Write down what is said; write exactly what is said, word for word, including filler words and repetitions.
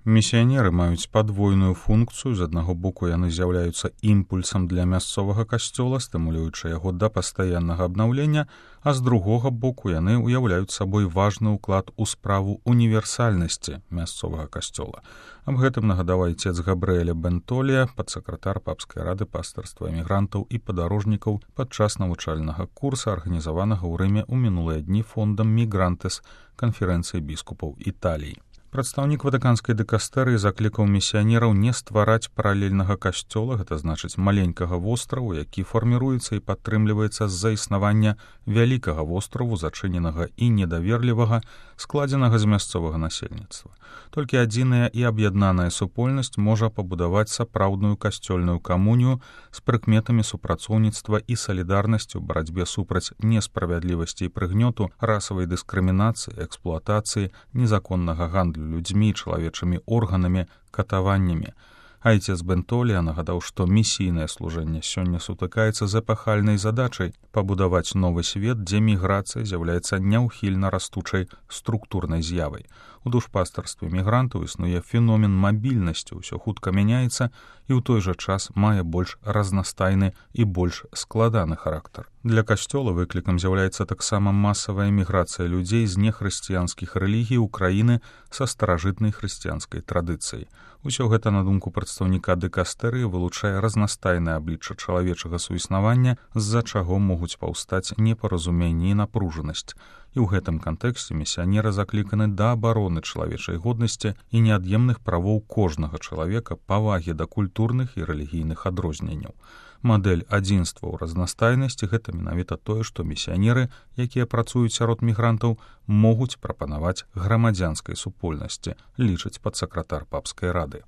Місіянеры маюць падвойную функцыю. З аднаго боку яны з'яўляюцца імпульсам для мясцовага касцёла, стымулюючы яго да пастаяннага абнаўлення, а з другога боку яны ўяўляюць сабой важны ўклад у справу універсальнасці мясцовага касцёла. Аб гэтым нагадаў айцец Габрыэля Бентолія, падсакратар папскай рады пастырства эмігрантаў і падарожнікаў падчас навучальнага курса, арганізаванага ў Рыме ў мінулыя дні фондам Мігрантес канферэнцыі біскупаў Італіі. Прадстаўнік ватыканскай дыкастэрыі заклікаў місіянераў не ствараць паралельнага касцёла, гэта значыць маленькага востраву, які фарміруецца і падтрымліваецца з-за існавання вялікага востраву, зачыненага і недаверлівага, складзенага з мясцовага насельніцтва. Толькі адзіная і аб'яднаная супольнасць можа пабудаваць сапраўдную касцёльную камунію з прыкметамі супрацоўніцтва і салідарнасці ў барацьбе супраць несправядлівасці і прыгнёту, расавай дыскрымінацыі, эксплуатацыі, незаконнага гандлю людзьмі, чалавечымі органамі, катаваннямі. Айцец Бентолія нагадаў, што місійнае служэнне сёння сутыкаецца з эпахальнай задачай пабудаваць новы свет, дзе міграцыя з'яўляецца няўхільна растучай структурнай з'явай. У душпастарстве мігрантаў існуе феномен мабільнасці, ўсё хутка мяняецца і ў той жа час мае больш разнастайны і больш складаны характар. Для касцёла выклікам з'яўляецца таксама масавая міграцыя людзей з нехрысціянскіх рэлігій ў краіны са старажытнай хрысціянскай традыцыяй. Усё гэта, на думку прадстаўніка дыкастэрыі, вылучае разнастайнае аблічча чалавечага суіснавання, з-за чаго могуць паўстаць непаразуменні і напружанасць. І ў гэтым кантэксце місіянеры закліканы да абароны чалавечай годнасці і неад'емных правоў кожнага чалавека, павагі да культурных і рэлігійных адрозненняў. Мадэль адзінства ў разнастайнасці — гэта менавіта тое, што місіянеры, якія працуюць сярод мігрантаў, могуць прапанаваць грамадзянскай супольнасці, лічыць падсакратар папскай рады.